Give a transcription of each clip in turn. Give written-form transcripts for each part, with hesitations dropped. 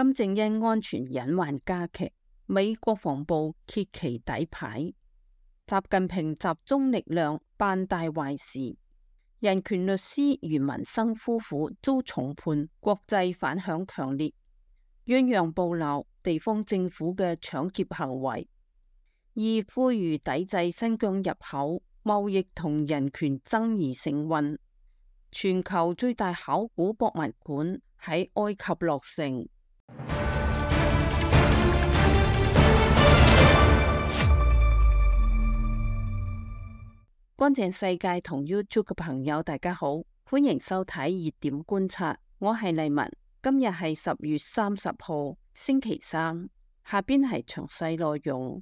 金正恩安全隱患加劇，美國防部揭其底牌。習近平集中力量辦大壞事。人權律師余文生夫婦遭重判，國際反響強烈。鴛鴦報鬧地方政府嘅搶劫行為，而呼籲抵制新疆入口，貿易同人權爭議成溫。全球最大考古博物館喺埃及落成。乾淨世界同 YouTube 嘅朋友大家好，歡迎收睇熱點觀察，我係麗文。今日係10月30號星期三，下邊係詳細內容。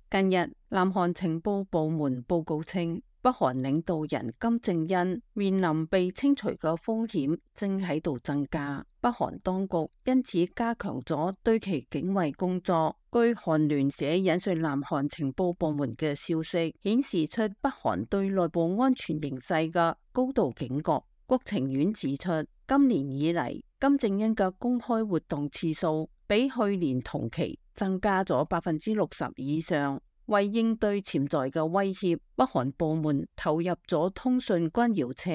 近日南韓情報部門報告稱，北韓領導人金正恩面臨被清除嘅風險正喺度增加，北韓當局因此加強咗對其警衛工作。據韓聯社引述南韓情報部門嘅消息，顯示出北韓對內部安全形勢嘅高度警覺。國情院指出，今年以嚟金正恩嘅公開活動次數比去年同期增加咗60%以上。為應對潛在嘅威脅，北韓部門投入咗通訊干擾車，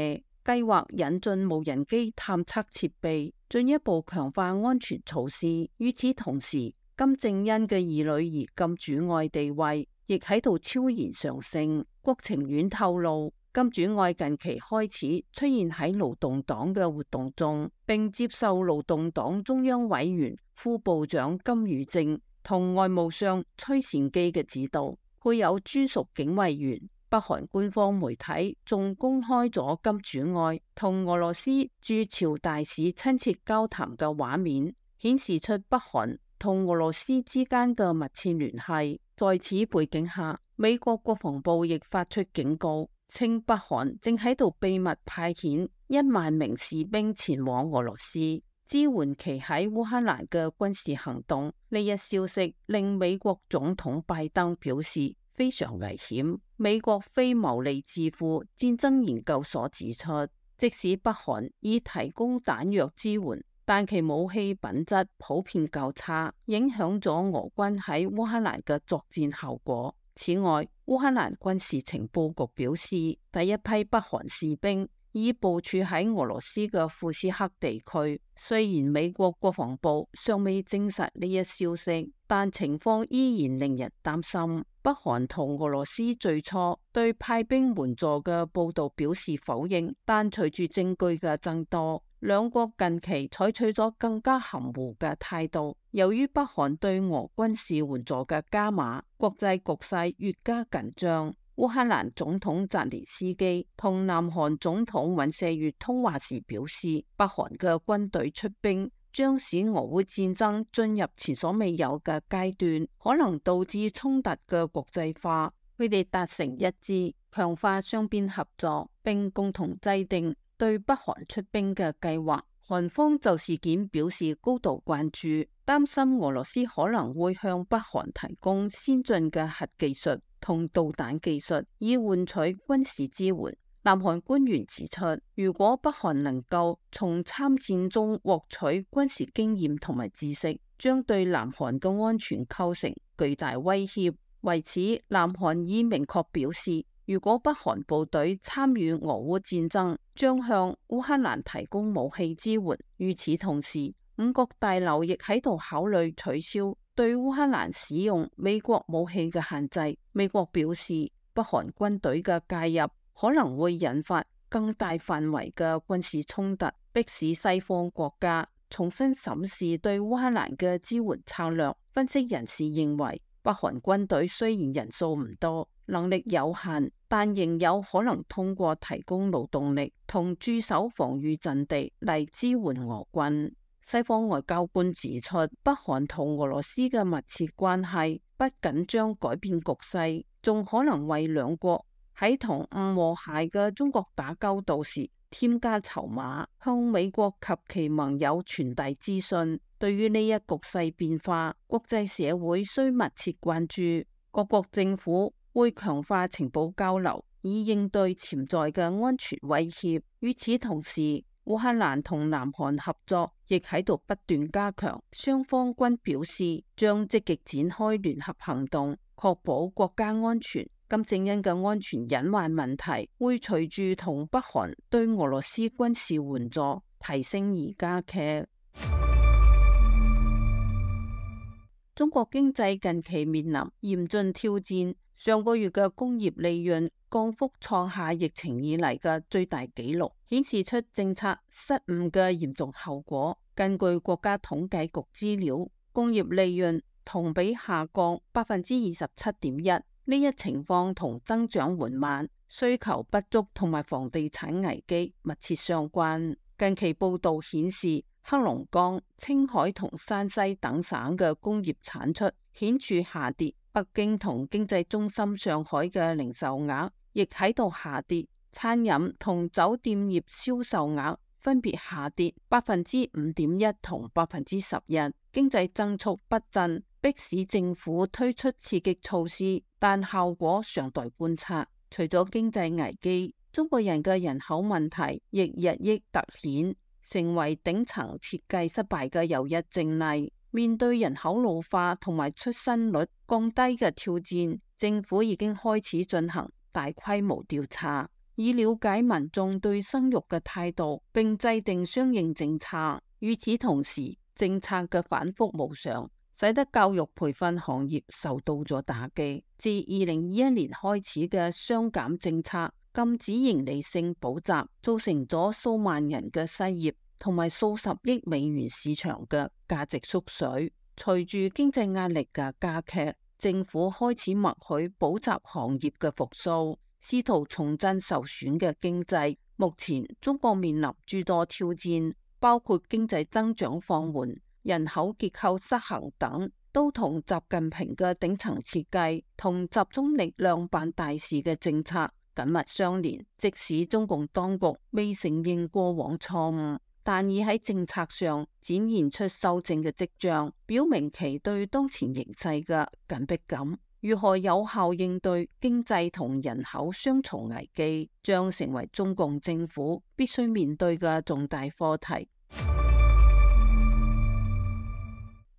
計劃引進無人機探測設備，進一步強化安全措施。與此同時，金正恩嘅二女兒金主愛地位亦喺度悄然上升。國情院透露，金主愛近期開始出現喺勞動黨嘅活動中，並接受勞動黨中央委員副部長金宇正同外務相崔善基嘅指導，配有專屬警衛員。北韓官方媒體仲公開咗金主愛同俄羅斯駐朝大使親切交談嘅畫面，顯示出北韓同俄羅斯之間嘅密切聯繫。在此背景下，美國國防部亦發出警告，稱北韓正喺度秘密派遣1萬名士兵前往俄羅斯，支援其喺烏克蘭嘅軍事行動。呢一消息令美國總統拜登表示非常危險。美國非牟利智庫戰爭研究所指出，即使北韓已提供彈藥支援，但其武器品質普遍較差，影響咗俄軍喺烏克蘭嘅作戰效果。此外，烏克蘭軍事情報局表示，第一批北韓士兵已部署喺俄羅斯嘅庫斯克地區。雖然美國國防部尚未證實呢一消息，但情況依然令人擔心。北韓同俄羅斯最初對派兵援助嘅報道表示否認，但隨住證據嘅增多，兩國近期採取咗更加含糊嘅態度。由於北韓對俄軍事援助嘅加碼，國際局勢越加緊張。烏克蘭總統澤連斯基同南韓總統尹錫悅通話時表示，北韓嘅軍隊出兵將使俄烏戰爭進入前所未有嘅階段，可能導致衝突嘅國際化。佢哋達成一致，強化雙邊合作，並共同制定對北韓出兵嘅計劃。韓方就事件表示高度關注，擔心俄羅斯可能會向北韓提供先進嘅核技術同導彈技術，以換取軍事支援。南韓官員指出，如果北韓能夠從參戰中獲取軍事經驗同埋知識，將對南韓嘅安全構成巨大威脅。為此，南韓已明確表示，如果北韓部隊參與俄烏戰爭，將向烏克蘭提供武器支援。與此同時，五角大樓亦喺度考慮取消對烏克蘭使用美國武器嘅限制。美國表示，北韓軍隊嘅介入可能會引發更大範圍嘅軍事衝突，迫使西方國家重新審視對烏克蘭嘅支援策略。分析人士認為，北韓軍隊雖然人數唔多，能力有限，但仍有可能通過提供勞動力同駐守防禦陣地嚟支援俄軍。西方外交官指出，北韓同俄羅斯嘅密切關係不僅將改變局勢，仲可能為兩國喺同唔和諧嘅中國打交道時添加籌碼，向美國及其盟友傳遞資訊。對於呢一局勢變化，國際社會需密切關注，各國政府會強化情報交流，以應對潛在嘅安全威脅。與此同時，烏克蘭同南韓合作亦喺度不斷加強，雙方均表示將積極展開聯合行動，確保國家安全。金正恩嘅安全隱患問題會隨住同北韓對俄羅斯軍事援助提升而加劇。中國經濟近期面臨嚴峻挑戰，上個月嘅工業利潤降幅創下疫情以嚟嘅最大紀錄，顯示出政策失誤嘅嚴重後果。根據國家統計局資料，工業利潤同比下降27.1%，呢一情況同增長緩慢、需求不足同埋房地產危機密切相關。近期報道顯示，黑龍江、青海同山西等省嘅工業產出顯著下跌，北京同經濟中心上海嘅零售額亦喺度下跌，餐飲同酒店業銷售額分別下跌5.1%同11%，經濟增速不振，迫使政府推出刺激措施，但效果尚待觀察。除咗經濟危機，中國人嘅人口問題亦日益凸顯，成為頂層設計失敗嘅又一證例。面對人口老化同埋出生率降低嘅挑戰，政府已經開始進行大規模調查，以了解民眾對生育嘅態度，並制定相應政策。與此同時，政策嘅反覆無常，使得教育培訓行業受到咗打擊。自2021年開始嘅雙減政策，禁止營利性補習，造成咗數萬人嘅失業，同埋數十億美元市場嘅價值縮水。隨住經濟壓力嘅加劇，政府開始默許補習行業嘅復甦，試圖重振受損嘅經濟。目前中國面臨諸多挑戰，包括經濟增長放緩、人口結構失衡等，都同習近平嘅頂層設計同集中力量辦大事嘅政策緊密相連。即使中共當局未承認過往錯誤，但已喺政策上展現出修正嘅跡象，表明其對當前形勢嘅緊迫感。如何有效應對經濟同人口雙重危機，將成為中共政府必須面對嘅重大課題。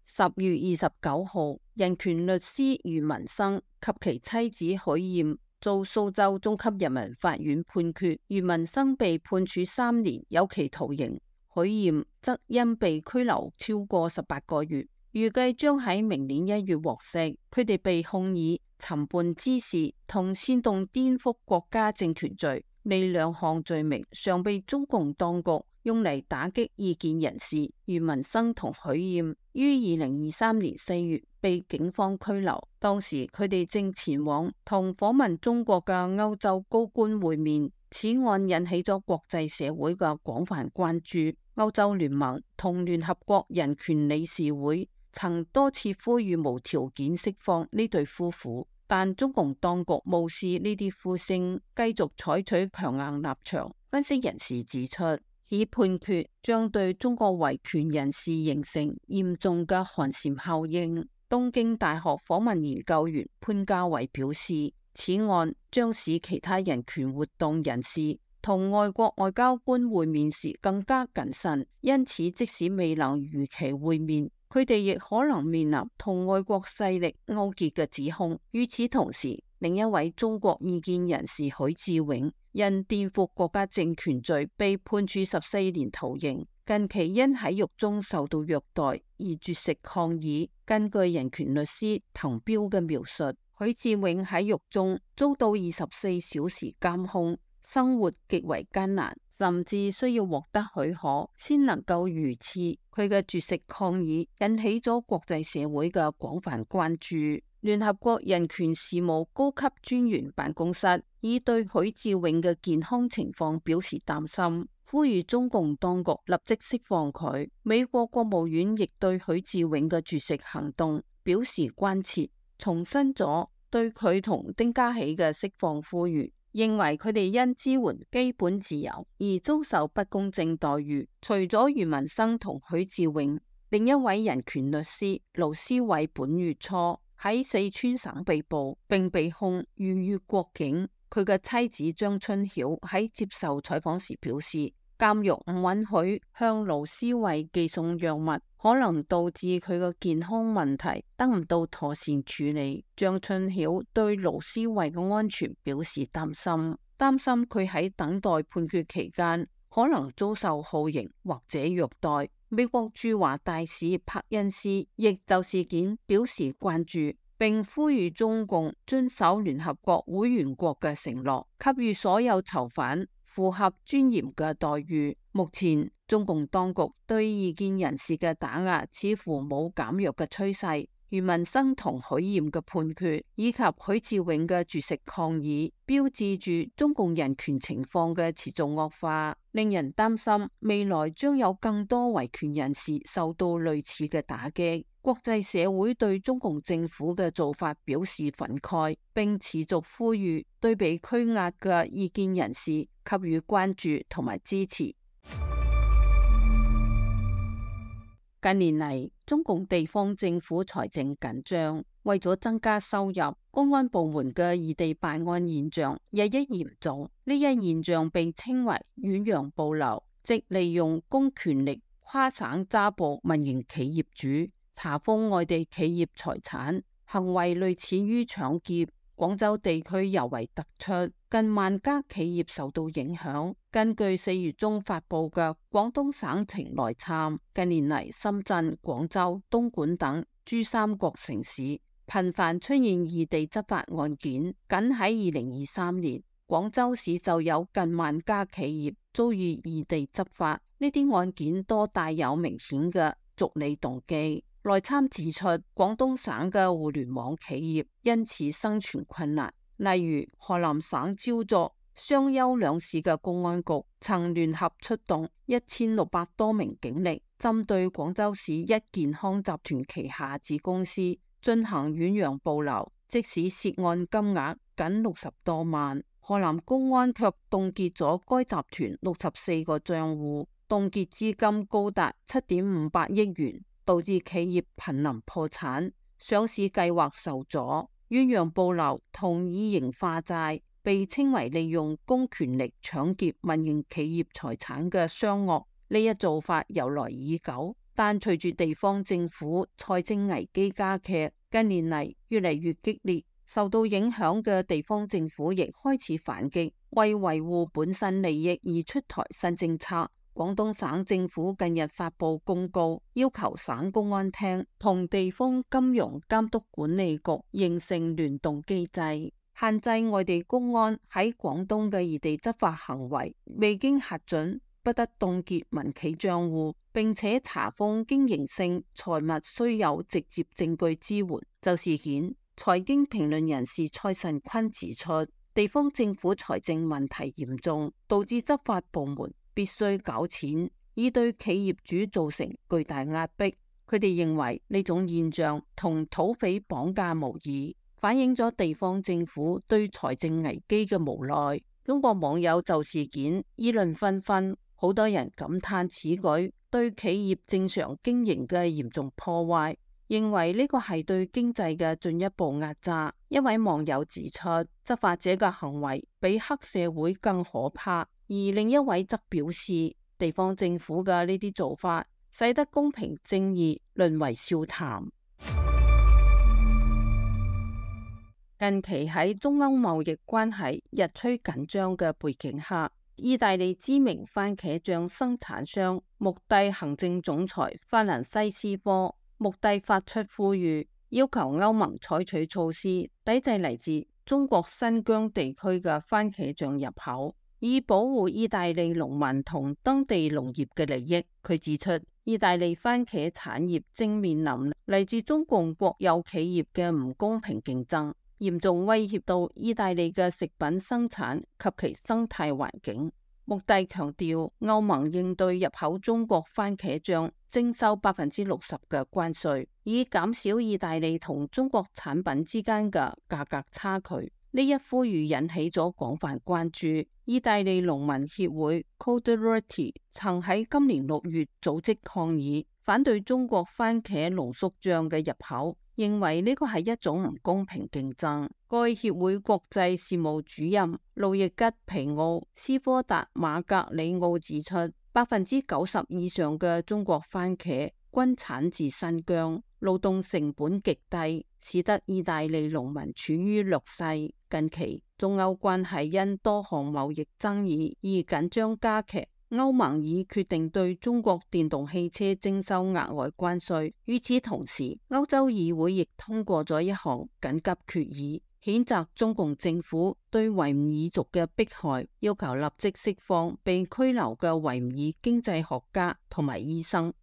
10月29號，人權律師余文生及其妻子許艷遭蘇州中級人民法院判決，余文生被判處3年有期徒刑，許艷則因被拘留超過18個月，預計將喺明年1月獲釋。佢哋被控以尋釁滋事同煽動顛覆國家政權罪，呢2項罪名尚被中共當局用嚟打擊異見人士。余文生同許艷於2023年4月被警方拘留，當時佢哋正前往同訪問中國嘅歐洲高官會面。此案引起咗國際社會嘅廣泛關注。歐洲聯盟同聯合國人權理事會曾多次呼籲無條件釋放呢對夫婦，但中共當局無視呢啲呼聲，繼續採取強硬立場。分析人士指出，此判決將對中國維權人士形成嚴重嘅寒蟬效應。東京大學訪問研究員潘家偉表示，此案將使其他人權活動人士同外國外交官會面時更加謹慎，因此即使未能如期會面，佢哋亦可能面臨同外國勢力勾結嘅指控。與此同時，另一位中國異見人士許志永因顛覆國家政權罪被判處14年徒刑，近期因喺獄中受到虐待而絕食抗議。根據人權律師滕彪嘅描述，許志永喺獄中遭到24小時監控，生活極為艱難，甚至需要獲得許可先能夠遇刺。佢嘅絕食抗議引起咗國際社會嘅廣泛關注。聯合國人權事務高級專員辦公室已對許志永嘅健康情況表示擔心，呼籲中共當局立即釋放佢。美國國務院亦對許志永嘅絕食行動表示關切，重申咗對佢同丁家喜嘅釋放呼籲，認為佢哋因支援基本自由而遭受不公正待遇。除咗余文生同許志永，另一位人權律師盧思偉本月初喺四川省被捕，並被控逾越國境。佢嘅妻子張春曉喺接受採訪時表示，監獄唔允許向盧思維寄送藥物，可能導致佢個健康問題得唔到妥善處理。張春曉對盧思維嘅安全表示擔心佢喺等待判決期間可能遭受酷刑或者虐待。美國駐華大使柏恩斯亦就事件表示關注，並呼籲中共遵守聯合國會員國嘅承諾，給予所有囚犯符合尊嚴嘅待遇。目前中共當局對異見人士嘅打壓似乎冇減弱嘅趨勢。余文生同許艷嘅判決，以及許志永嘅絕食抗議，標誌住中共人權情況嘅持續惡化，令人擔心未來將有更多維權人士受到類似嘅打擊。國際社會對中共政府嘅做法表示憤慨，並持續呼籲對被拘押嘅異見人士給予關注同埋支持。近年嚟，中共地方政府財政緊張，為咗增加收入，公安部門嘅異地辦案現象日益嚴重。呢一現象被稱為遠洋捕撈，即利用公權力跨省抓捕民營企業主，查封外地企業財產，行為類似於搶劫。廣州地區尤為突出，近萬家企業受到影響。根據4月中發佈嘅廣東省情內參，近年嚟深圳、廣州、東莞等珠三角城市頻繁出現異地執法案件。僅喺2023年，廣州市就有近萬家企業遭遇異地執法，呢啲案件多帶有明顯嘅逐利動機。內參指出，廣東省嘅互聯網企業因此生存困難。例如，河南省焦作、商丘兩市嘅公安局曾聯合出動1600多名警力，針對廣州市一健康集團旗下子公司進行遠洋捕撈，即使涉案金額僅60多萬，河南公安卻凍結咗該集團64個賬戶，凍結資金高達7.58億元。導致企業瀕臨破產，上市計劃受阻。遠洋捕撈同以刑化債，被稱為利用公權力搶劫民營企業財產嘅商惡。呢一做法由來已久，但隨住地方政府財政危機加劇，近年嚟越嚟越激烈。受到影響嘅地方政府亦開始反擊，為維護本身利益而出台新政策。廣東省政府近日發佈公告，要求省公安廳同地方金融監督管理局形成聯動機制，限制外地公安喺廣東嘅異地執法行為，未經核准不得凍結民企賬戶，並且查封經營性財物須有直接證據支援。就事件，財經評論人士蔡慎坤指出，地方政府財政問題嚴重，導致執法部門必須搞錢，以對企業主造成巨大壓迫。佢哋認為呢種現象同土匪綁架無異，反映咗地方政府對財政危機嘅無奈。中國網友就事件議論紛紛，好多人感嘆此舉對企業正常經營嘅嚴重破壞，認為呢個係對經濟嘅進一步壓榨。一位網友指出，執法者嘅行為比黑社會更可怕。而另一位則表示，地方政府嘅呢啲做法，使得公平正義淪為笑談。近期喺中歐貿易關係日趨緊張嘅背景下，意大利知名番茄醬生產商穆蒂行政總裁法蘭西斯科穆蒂發出呼籲，要求歐盟採取措施抵制嚟自中國新疆地區嘅番茄醬入口，以保護意大利農民同當地農業嘅利益。佢指出，意大利番茄產業正面臨嚟自中共國有企業嘅唔公平競爭，嚴重威脅到意大利嘅食品生產及其生態環境。穆蒂強調，歐盟應對入口中國番茄醬徵收60%嘅關稅，以減少意大利同中國產品之間嘅價格差距。呢一呼籲引起咗廣泛關注。意大利農民協會 Coldiretti 曾喺今年6月組織抗議，反對中國番茄濃縮醬嘅入口，認為呢個係一種唔公平競爭。該協會國際事務主任路易吉皮奧斯科達馬格里奧指出，90%以上嘅中國番茄均產自新疆，勞動成本極低，使得意大利農民處於劣勢。近期中歐關係因多項貿易爭議而緊張加劇，歐盟已決定對中國電動汽車徵收額外關稅。與此同時，歐洲議會亦通過咗一項緊急決議，譴責中共政府對維吾爾族嘅迫害，要求立即釋放被拘留嘅維吾爾經濟學家同埋醫生。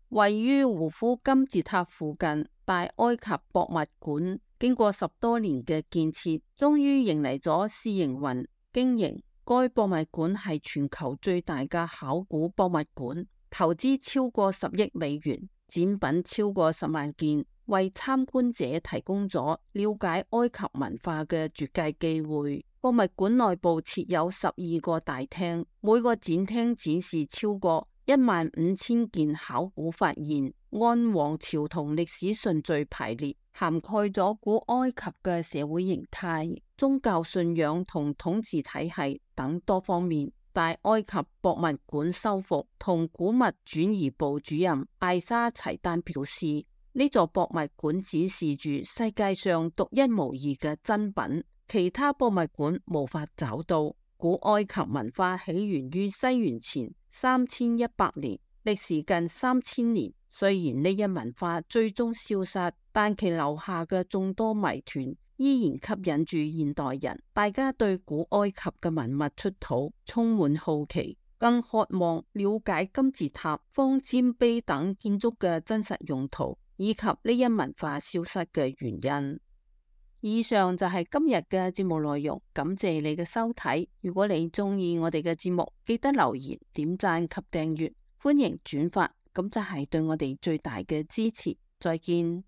位於胡夫金字塔附近大埃及博物館，經過10多年嘅建設，終於迎嚟咗試營運經營。該博物館係全球最大嘅考古博物館，投資超過10億美元，展品超過10萬件，為參觀者提供咗了解埃及文化嘅絕佳機會。博物館內部設有12個大廳，每個展廳展示超過15000件考古發現，按王朝同歷史順序排列，涵蓋咗古埃及嘅社會形態、宗教信仰同統治體系等多方面。大埃及博物館修復同古物轉移部主任艾沙齊丹表示，呢座博物館展示住世界上獨一無二嘅珍品，其他博物館無法找到。古埃及文化起源於西元前3100年，歷時近3000年。雖然呢一文化最終消失，但其留下嘅眾多謎團依然吸引住現代人。大家對古埃及嘅文物出土充滿好奇，更渴望了解金字塔、方尖碑等建築嘅真實用途，以及呢一文化消失嘅原因。以上就係今日嘅節目內容，感謝你嘅收睇。如果你中意我哋嘅節目，記得留言、點讚及訂閱，歡迎轉發，咁就係對我哋最大嘅支持。再見。